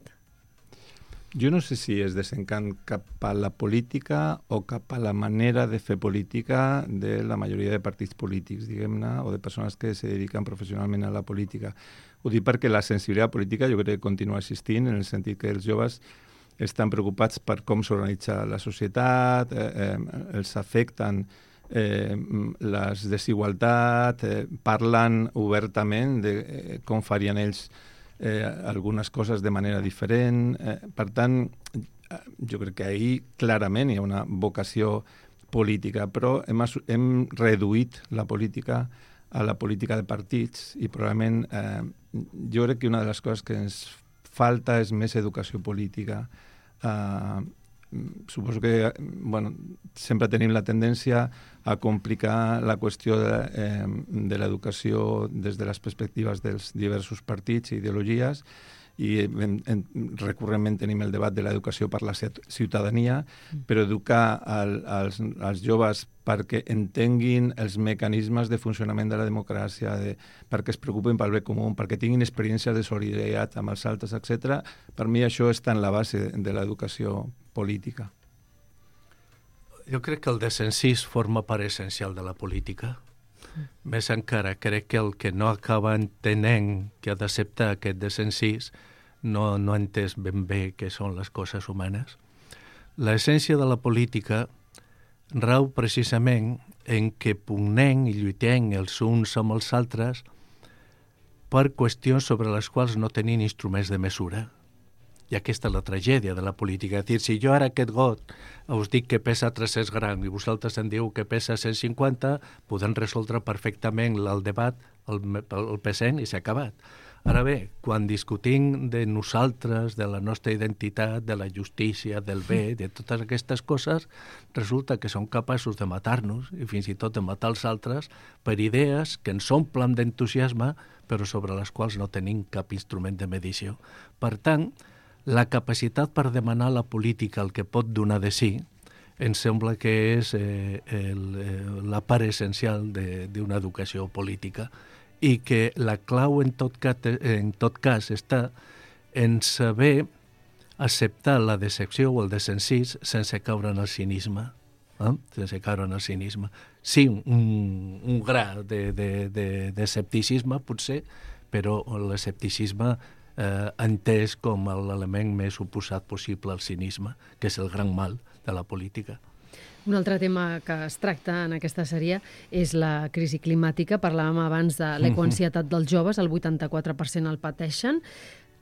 Jo no sé si és desencant cap a la política o cap a la manera de fer política de la majoria de partits polítics, diguem-ne, o de persones que se dediquen professionalment a la política. Ho dic perquè la sensibilitat política jo crec que continua existint, en el sentit que els joves estan preocupats per com s'organitza la societat, els afecten les desigualtats, parlen obertament de com farien ells algunes coses de manera diferent. Per tant, jo crec que ahir clarament hi ha una vocació política, però hem reduït la política a la política de partits i probablement jo crec que una de les coses que ens falta és més educació política. Suposo que sempre tenim la tendència a complicar la qüestió de l'educació des de les perspectives dels diversos partits i ideologies, i recurrentment tenim el debat de l'educació per la ciutadania, però educar als joves perquè entenguin els mecanismes de funcionament de la democràcia, perquè es preocupen pel bé comú, perquè tinguin experiències de solidaritat amb els altres, etc. Per mi això està en la base de l'educació política. Jo crec que el desencís forma part essencial de la política. Més encara, crec que el que no acaba entenent que ha d'acceptar aquest desencís no ha entès ben bé què són les coses humanes. L'essència de la política rau precisament en què pugnem i lluitem els uns amb els altres per qüestions sobre les quals no tenim instruments de mesura. I aquesta és la tragèdia de la política. És a dir, si jo ara aquest got us dic que pesa 300 grams i vosaltres em diu que pesa 150, podem resoldre perfectament el debat, el pesant, i s'ha acabat. Ara bé, quan discutim de nosaltres, de la nostra identitat, de la justícia, del bé, de totes aquestes coses, resulta que som capaços de matar-nos i fins i tot de matar els altres per idees que ens omplen d'entusiasme, però sobre les quals no tenim cap instrument de medició. Per tant, la capacitat per demanar a la política el que pot donar de si em sembla que és la part essencial d'una educació política, i que la clau en tot cas està en saber acceptar la decepció o el desencís sense caure en el cinisme. Sense caure en el cinisme. Sí, un gra d'escepticisme, potser, però l'escepticisme entès com l'element més oposat possible al cinisme, que és el gran mal de la política. Un altre tema que es tracta en aquesta sèrie és la crisi climàtica. Parlàvem abans de l'ecoansietat dels joves, el 84% el pateixen,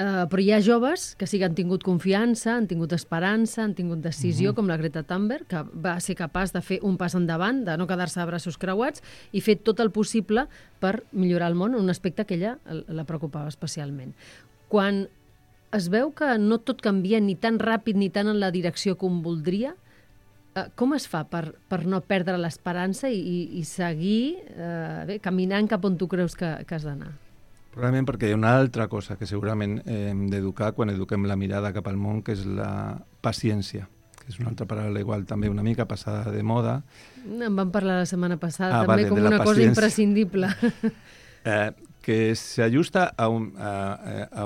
però hi ha joves que sí que han tingut confiança, han tingut esperança, han tingut decisió, com la Greta Thunberg, que va ser capaç de fer un pas endavant, de no quedar-se a braços creuats i fer tot el possible per millorar el món, un aspecte que ella la preocupava especialment. Quan es veu que no tot canvia ni tan ràpid ni tan en la direcció com voldria, com es fa per no perdre l'esperança i seguir caminant cap on tu creus que has d'anar? Probablement perquè hi ha una altra cosa que segurament hem d'educar quan eduquem la mirada cap al món, que és la paciència, que és una altra paraula igual també una mica passada de moda. En vam parlar la setmana passada també com una cosa imprescindible. Que s'ajusta a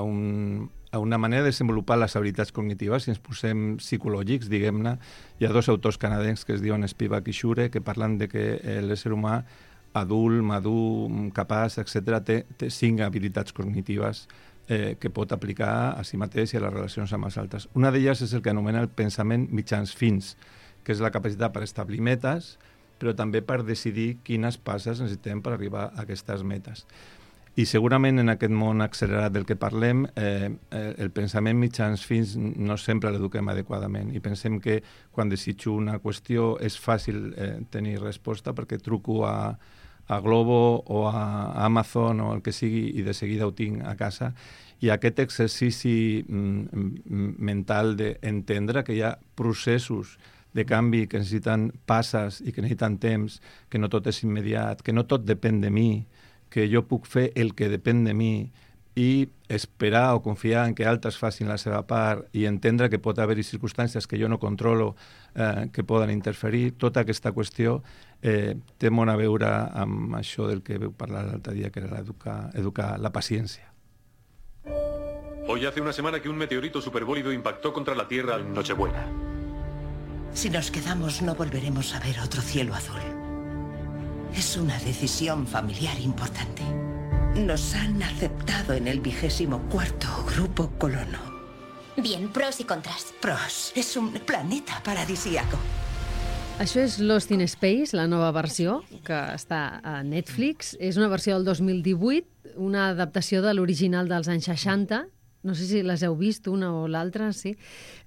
una manera de desenvolupar les habilitats cognitives. Si ens posem psicològics, diguem-ne, hi ha dos autors canadencs que es diuen Spivak i Shure, que parlen de que l'ésser humà adult, madur, capaç, etc., té 5 habilitats cognitives que pot aplicar a si mateix i a les relacions amb els altres. Una d'elles és el que anomena el pensament mitjans fins, que és la capacitat per establir metes, però també per decidir quines passes necessitem per arribar a aquestes metes. I segurament en aquest món accelerat del que parlem, el pensament mitjans fins no sempre l'eduquem adequadament i pensem que quan desitjo una qüestió és fàcil tenir resposta perquè truco a Globo o a Amazon o el que sigui i de seguida ho tinc a casa. I aquest exercici mental d'entendre que hi ha processos de canvi que necessiten passes i que necessiten temps, que no tot és immediat, que no tot depèn de mi, que jo puc fer el que depèn de mi i esperar o confiar en que altres facin la seva part i entendre que pot haver-hi circumstàncies que jo no controlo que poden interferir. Tota aquesta qüestió té molt a veure amb això del que veu parlar l'altre dia, que era educar la paciència. Hoy hace una semana que un meteorito superbólido impactó contra la Tierra en Nochebuena. Si nos quedamos no volveremos a ver otro cielo azul. Es una decisión familiar importante. Nos han aceptado en el 24º Grupo Colono. Bien, pros y contras. Pros. Es un planeta paradisíaco. Això és Lost in Space, la nova versió, que està a Netflix. És una versió del 2018, una adaptació de l'original dels anys 60. No sé si les heu vist, una o l'altra, sí.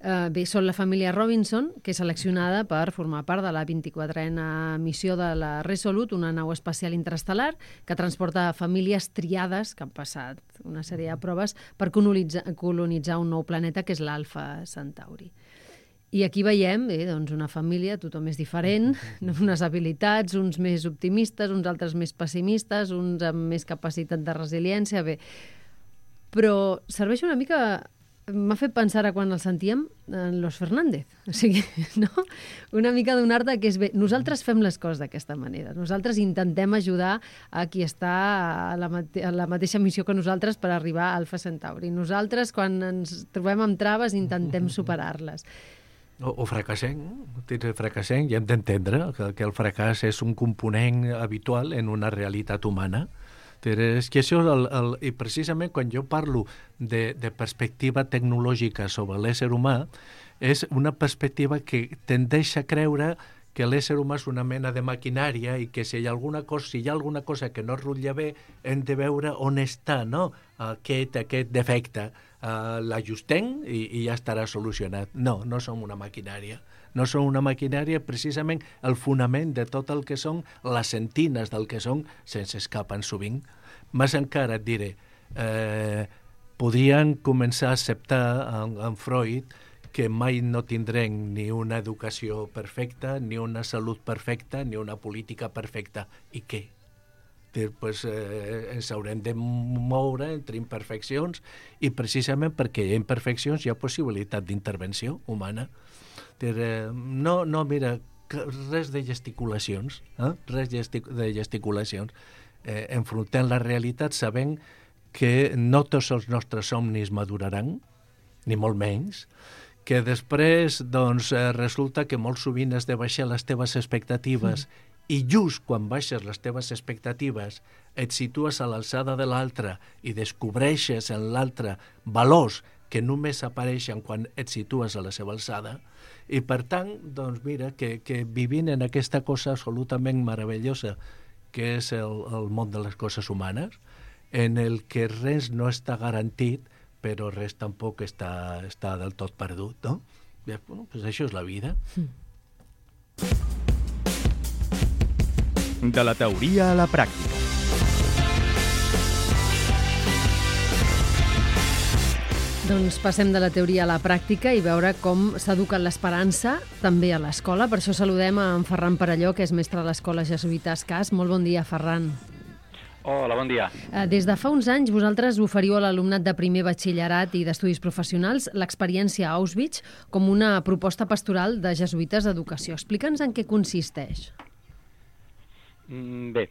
Bé, són la família Robinson, que és seleccionada per formar part de la 24a missió de la Resolute, una nau espacial interestel·lar que transporta famílies triades que han passat una sèrie de proves per colonitzar un nou planeta, que és l'Alpha Centauri. I aquí veiem doncs una família, tothom és diferent, unes habilitats, uns més optimistes, uns altres més pessimistes, uns amb més capacitat de resiliència, bé. Però serveix una mica, m'ha fet pensar a quan el sentíem en Los Fernández, o sigui, no? Una mica donar-te que és bé, nosaltres fem les coses d'aquesta manera, nosaltres intentem ajudar a qui està a la mateixa missió que nosaltres per arribar a Alpha Centauri. Nosaltres, quan ens trobem amb traves, intentem superar-les. O fracassem, i hem d'entendre que el fracàs és un component habitual en una realitat humana. És que això, i precisament quan jo parlo de perspectiva tecnològica sobre l'ésser humà, és una perspectiva que tendeix a creure que l'ésser humà és una mena de maquinària i que si hi ha alguna cosa que no rutlla bé, hem de veure on està, no? Aquest defecte. L'ajustem i ja estarà solucionat. No, no som una maquinària. No són una maquinària, precisament el fonament de tot el que són les centines del que són se'ns escapen sovint. Més encara et diré, podrien començar a acceptar en Freud que mai no tindrem ni una educació perfecta, ni una salut perfecta, ni una política perfecta. I què? Pues, ens haurem de moure entre imperfeccions i precisament perquè hi ha imperfeccions hi ha possibilitat d'intervenció humana. No, mira, res de gesticulacions, res de gesticulacions. Enfrontem la realitat sabent que no tots els nostres somnis maduraran, ni molt menys, que després doncs, resulta que molt sovint has de baixar les teves expectatives i just quan baixes les teves expectatives et situes a l'alçada de l'altre i descobreixes en l'altre valors que només apareixen quan et situes a la seva alçada, i per tant, doncs mira, que vivint en aquesta cosa absolutament meravellosa que és el món de les coses humanes, en el que res no està garantit, però res tampoc està del tot perdut, no? Bueno, pues això és la vida. De la teoria a la pràctica. Doncs passem de la teoria a la pràctica i veure com s'educa l'esperança també a l'escola. Per això saludem a en Ferran Perelló, que és mestre de l'Escola Jesuïta Escàs. Molt bon dia, Ferran. Hola, bon dia. Des de fa uns anys vosaltres oferiu a l'alumnat de primer batxillerat i d'estudis professionals l'experiència Auschwitz com una proposta pastoral de jesuïtes d'educació. Explica'ns en què consisteix. Bé,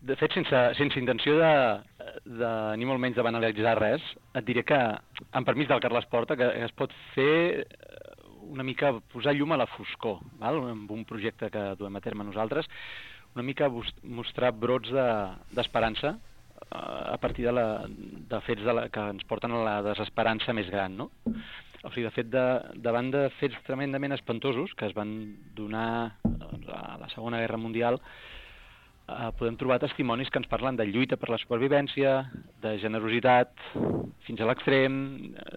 de fet, sense intenció de ni molt menys de banalitzar res, et diré que, amb permís del Carles Porta, que es pot fer una mica posar llum a la foscor, val? Amb un projecte que duem a terme nosaltres, una mica mostrar brots d'esperança a partir de fets que ens porten a la desesperança més gran, no? O sigui, de fet, davant de fets tremendament espantosos que es van donar a la Segona Guerra Mundial, podem trobar testimonis que ens parlen de lluita per la supervivència, de generositat fins a l'extrem,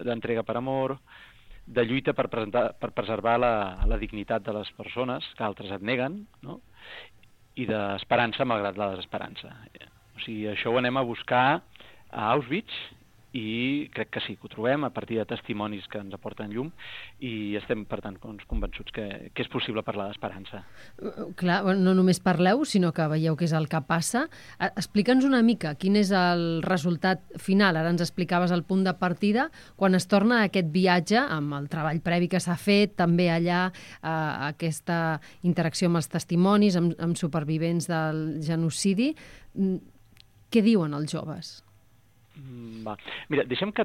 d'entrega per amor, de lluita per preservar la dignitat de les persones que altres et neguen, no? I d'esperança malgrat la desesperança. O sigui, això ho anem a buscar a Auschwitz i crec que sí, que ho trobem a partir de testimonis que ens aporten llum i estem, per tant, convençuts que és possible parlar d'esperança. Clar, no només parleu, sinó que veieu què és el que passa. Explica'ns una mica quin és el resultat final. Ara ens explicaves el punt de partida, quan es torna a aquest viatge, amb el treball previ que s'ha fet, també allà aquesta interacció amb els testimonis, amb supervivents del genocidi. Què diuen els joves? Va. Mira, deixa'm que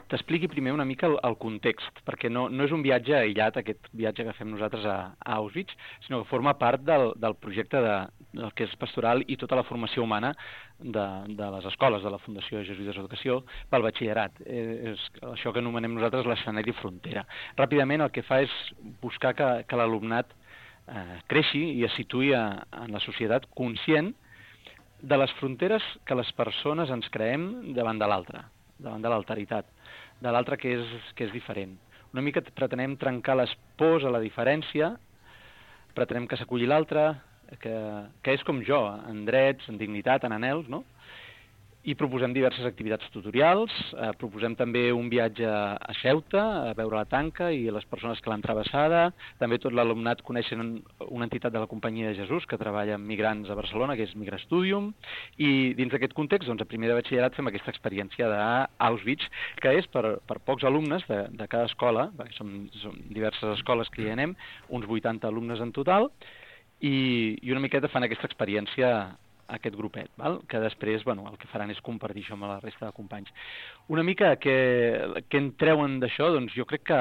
t'expliqui primer una mica el context, perquè no és un viatge aïllat, aquest viatge que fem nosaltres a Auschwitz, sinó que forma part del projecte del que és pastoral i tota la formació humana de les escoles de la Fundació Jesuïtes d'Educació pel batxillerat. És això que anomenem nosaltres l'escenari frontera. Ràpidament el que fa és buscar que l'alumnat creixi i es situï en la societat conscient de les fronteres que les persones ens creem davant de l'altre, davant de l'alteritat, de l'altre que és diferent. Una mica pretenem trencar les pors a la diferència, pretenem que s'aculli l'altre, que és com jo, en drets, en dignitat, en anhels, no? I proposem diverses activitats tutorials, proposem també un viatge a Ceuta, a veure la tanca i les persones que l'han travessada. També tot l'alumnat coneixen una entitat de la Companyia de Jesús que treballa amb migrants a Barcelona, que és Migrastudium, i dins d'aquest context, doncs, a primer de batxillerat fem aquesta experiència d'Auschwitz, que és per pocs alumnes de cada escola, perquè som diverses escoles que hi anem, uns 80 alumnes en total, i una miqueta fan aquesta experiència aquest grupet, val? Que després el que faran és compartir això amb la resta de companys. Una mica què en treuen d'això? Doncs jo crec que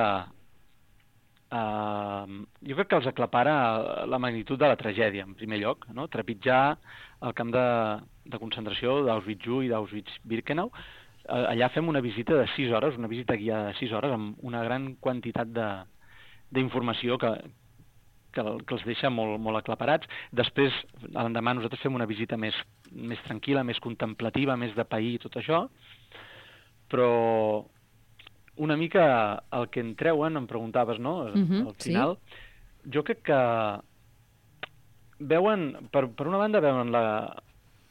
els aclapara la magnitud de la tragèdia, en primer lloc, no? Trepitjar el camp de concentració d'Auschwitz-I i d'Auschwitz-Birkenau. Allà fem una visita de 6 hores, una visita guiada de 6 hores, amb una gran quantitat d'informació que els deixa molt aclaparats. Després, l'endemà, nosaltres fem una visita més tranquil·la, més contemplativa, més de pair i tot això, però una mica el que en treuen, em preguntaves, no?, al final, sí. Jo crec que veuen, per una banda,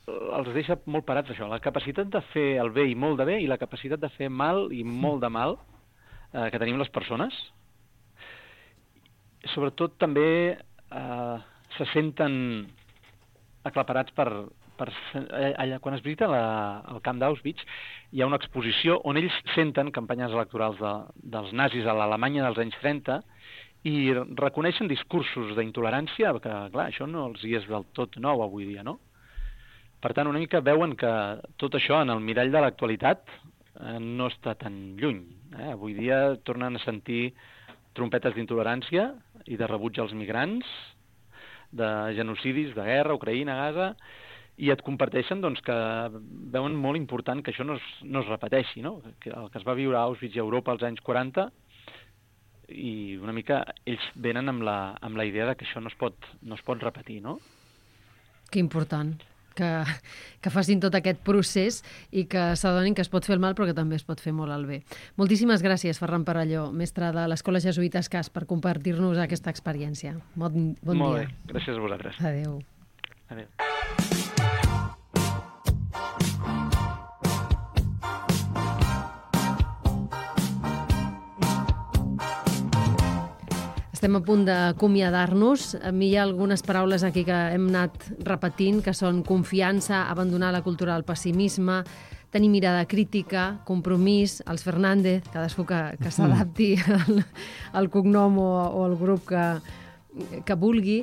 els deixa molt parats això, la capacitat de fer el bé i molt de bé i la capacitat de fer mal i molt de mal que tenim les persones. Sobretot també se senten aclaparats quan es visita el camp d'Auschwitz, hi ha una exposició on ells senten campanyes electorals dels nazis a l'Alemanya dels anys 30 i reconeixen discursos d'intolerància, que clar, això no els hi és del tot nou avui dia, no? Per tant, una mica veuen que tot això en el mirall de l'actualitat no està tan lluny. Avui dia tornen a sentir trompetes d'intolerància i de rebuig als migrants, de genocidis, de guerra, Ucraïna, Gaza, i et comparteixen doncs, que veuen molt important que això no es repeteixi, no? Que el que es va viure a Auschwitz i a Europa als anys 40, i una mica ells venen amb la idea de que això no es pot repetir, no? Que important. Que facin tot aquest procés i que s'adonin que es pot fer el mal però que també es pot fer molt el bé. Moltíssimes gràcies, Ferran Perelló, mestre de l'Escola Jesuïtes CAS, per compartir-nos aquesta experiència. Bon dia. Molt bé, gràcies a vosaltres. Adéu. Adéu. Estem a punt d'acomiadar-nos. A mi hi ha algunes paraules aquí que hem anat repetint, que són confiança, abandonar la cultura del pessimisme, tenir mirada crítica, compromís, els Fernández, cadascú que s'adapti al cognom o al grup que vulgui.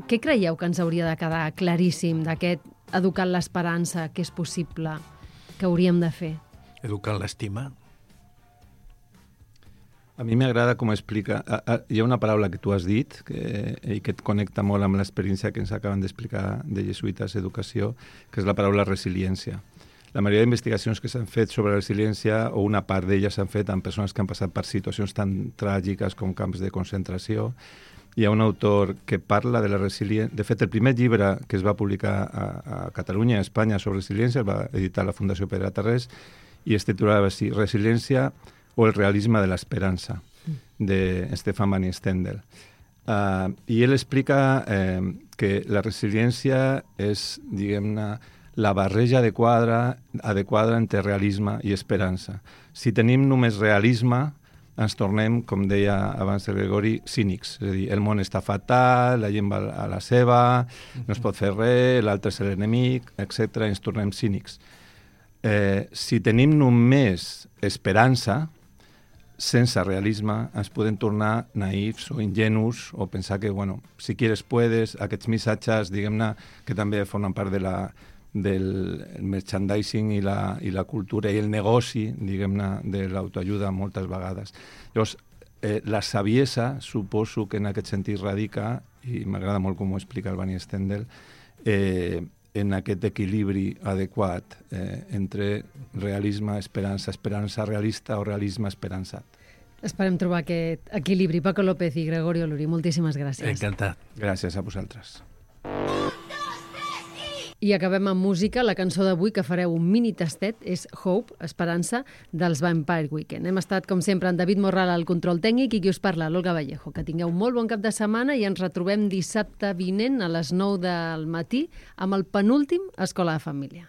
Què creieu que ens hauria de quedar claríssim d'aquest educar l'esperança, que és possible, que hauríem de fer? Educar l'estima. A mi m'agrada com explica... Hi ha una paraula que tu has dit i que et connecta molt amb l'experiència que ens acaben d'explicar de Jesuïtes Educació, que és la paraula resiliència. La majoria d'investigacions que s'han fet sobre resiliència, o una part d'elles s'han fet amb persones que han passat per situacions tan tràgiques com camps de concentració. Hi ha un autor que parla de la resiliència... De fet, el primer llibre que es va publicar a Catalunya i a Espanya sobre resiliència el va editar la Fundació Pedra Tarrés i es titulava així, Resiliència o el realisme de l'esperança, de Stefan Van Stendel. I ell explica que la resiliència és, diguem-ne, la barreja adequada entre realisme i esperança. Si tenim només realisme, ens tornem, com deia abans el Gregori, cínics. És a dir, el món està fatal, la gent va a la seva, no es pot fer res, l'altre és l'enemic, etc. Ens tornem cínics. Si tenim només esperança, sense realisme, ens podem tornar naïfs o ingenus o pensar que, bueno, si quieres puedes, aquests missatges, diguem-ne, que també formen part del merchandising i la cultura i el negoci, diguem-ne, de l'autoajuda moltes vegades. Llavors, la saviesa, suposo que en aquest sentit radica, i m'agrada molt com ho explica el Van Stendel, en aquest equilibri adequat entre realisme, esperança realista o realisme esperançat. Esperem trobar aquest equilibri. Paco López i Gregorio Luri, moltíssimes gràcies. Encantat. Gràcies a vosaltres. I acabem amb música. La cançó d'avui, que fareu un mini tastet, és Hope, Esperança, dels Vampire Weekend. Hem estat, com sempre, en David Morral al control tècnic i qui us parla, l'Olga Vallejo. Que tingueu molt bon cap de setmana i ens retrobem dissabte vinent a les 9 del matí amb el penúltim Escola de Família.